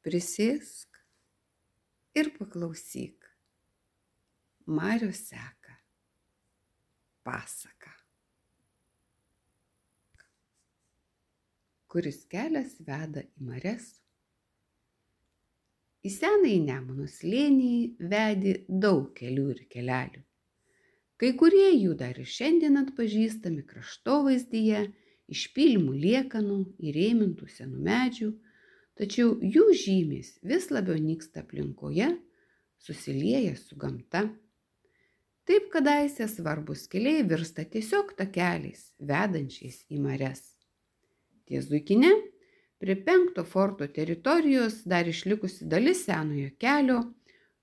Prisėsk ir paklausyk. Mariaus seka pasaka. Kuris kelias veda į marias? Į senąjį Nemuno slėnį vedė daug kelių ir kelelių. Kai kurie jų dar ir šiandien atpažįstami kraštovaizdyje, iš pylimų liekanų, įrėmintų senų medžių, tačiau jų žymės vis labiau nyksta aplinkoje, susilieja su gamta. Taip kadaise svarbus keliai virsta tiesiog takeliais, vedančiais į marias. Ties Zuikine, prie 5 forto teritorijos dar išlikusi dalis senojo kelio,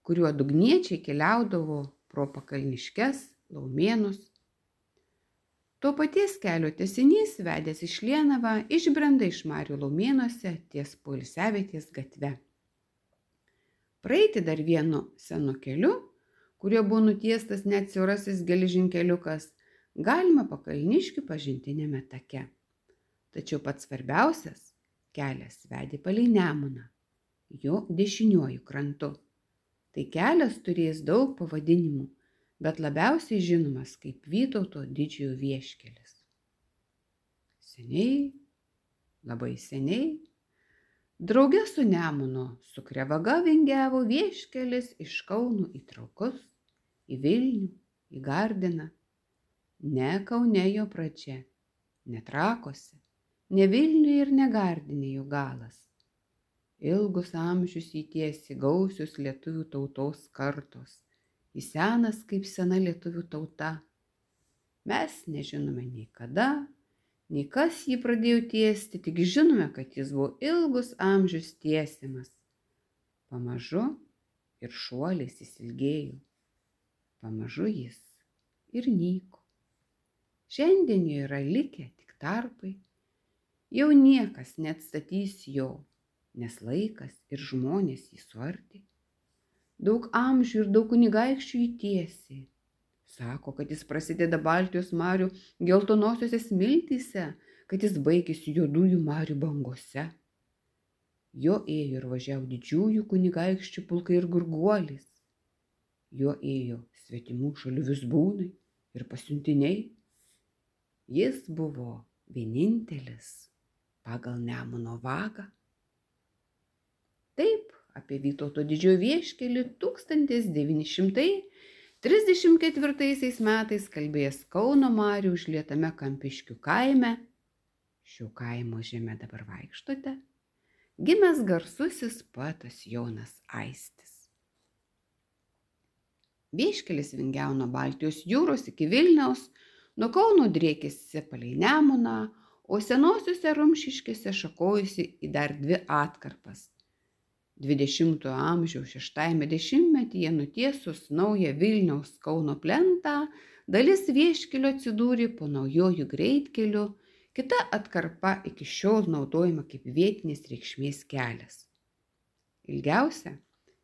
kuriuo dugniečiai keliaudavo pro pakalniškes, Laumėnus. To paties kelio tęsinys vedęs iš Lienavą išbrenda iš marių Laumėnuose ties Poilsiavietės gatve. Praeiti dar vienu senu keliu, kuriuo buvo nutiestas net siaurasis geležinkeliukas, galima Pakalniškių pažintiniame take. Tačiau pats svarbiausias kelias vedė palei Nemuną, jo dešiniuoju krantu. Tai kelias turės daug pavadinimų, bet labiausiai žinomas kaip Vytauto didžiojo vieškelis. Seniai, labai seniai, drauge su Nemunu su Krevaga vingiavo vieškelis iš Kauno į Trakus, į Vilnių, į Gardiną. Ne Kaune jo pradžia, ne Trakuose, ne Vilniuje ir ne Gardine jo galas. Ilgus amžius jį tiesi gausios lietuvių tautos kartos, į senas kaip sena lietuvių tauta. Mes nežinome nei kada, nei kas jį pradėjo tiesti, tik žinome, kad jis buvo ilgus amžius tiesiamas. Pamažu ir šuoliais jis ilgėjo. Pamažu jis ir nyko. Šiandien jo yra likę tik tarpai. Jau niekas neatstatys jo, nes laikas ir žmonės jį suardė. Daug amžių ir daug kunigaikščių jį tiesė. Sako, kad jis prasideda Baltijos marių geltonosiose smiltyse, kad jis baigėsi juodųjų marių bangose. Jo ėjo ir važiavo didžiųjų kunigaikščių pulkai ir gurguolis. Jo ėjo svetimų šalių vizbūnai ir pasiuntiniai. Jis buvo vienintelis pagal Nemuno vagą. Taip, apie Vytauto didžiojo vieškelį 1934 metais kalbėjęs Kauno marių užlietame Kampiškių kaime, šio kaimo žeme dabar vaikštote, gimęs garsusis poetas Jonas Aistis. Vieškelis vingiavo nuo Baltijos jūros iki Vilniaus, nuo Kauno driekėsi palei Nemuną, o senosiuose Rumšiškėse šakojosi į dar 2 atkarpas. 20-ojo amžiaus 6-ame dešimtmetyje nutiesus naują Vilniaus Kauno plentą, dalis vieškelio atsidūrė po naujojų greitkeliu, kita atkarpa iki šiol naudojama kaip vietinės reikšmės kelias. Ilgiausia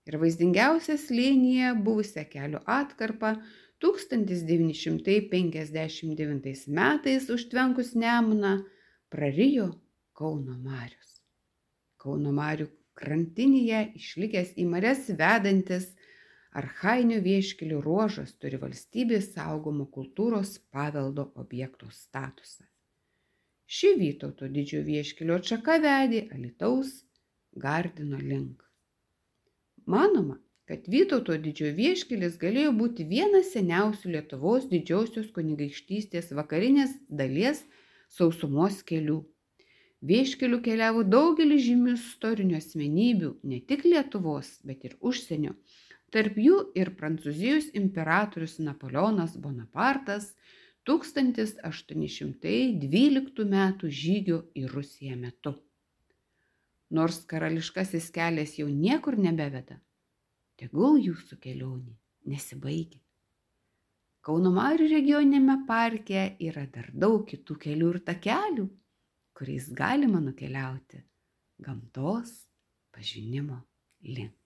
ir vaizdingiausia slėnyje buvusią kelio atkarpą 1959 metais užtvenkus Nemuną prarijo Kauno marios. Kauno marių krantinėje išlikęs į marias vedantis archainio vieškelio ruožas turi valstybės saugomo kultūros paveldo objekto statusą. Ši Vytauto didžiojo vieškelio atšaka vedė Alytaus Gardino link. Manoma, kad Vytauto didžiojo vieškelis galėjo būti vienas seniausių Lietuvos didžiosios kunigaikštystės vakarinės dalies sausumos kelių. Vieškeliu keliavo daugelis žymių istorinių asmenybių, ne tik Lietuvos, bet ir užsienio. Tarp jų ir Prancūzijos imperatorius Napoleonas Bonapartas 1812 metų žygio į Rusiją metu. Nors karališkasis kelias jau niekur nebeveda, tegul jūsų kelionė nesibaigia. Kauno marių regioniniame parke yra dar daug kitų kelių ir takelių, kuriais galima nukeliauti gamtos pažinimo link.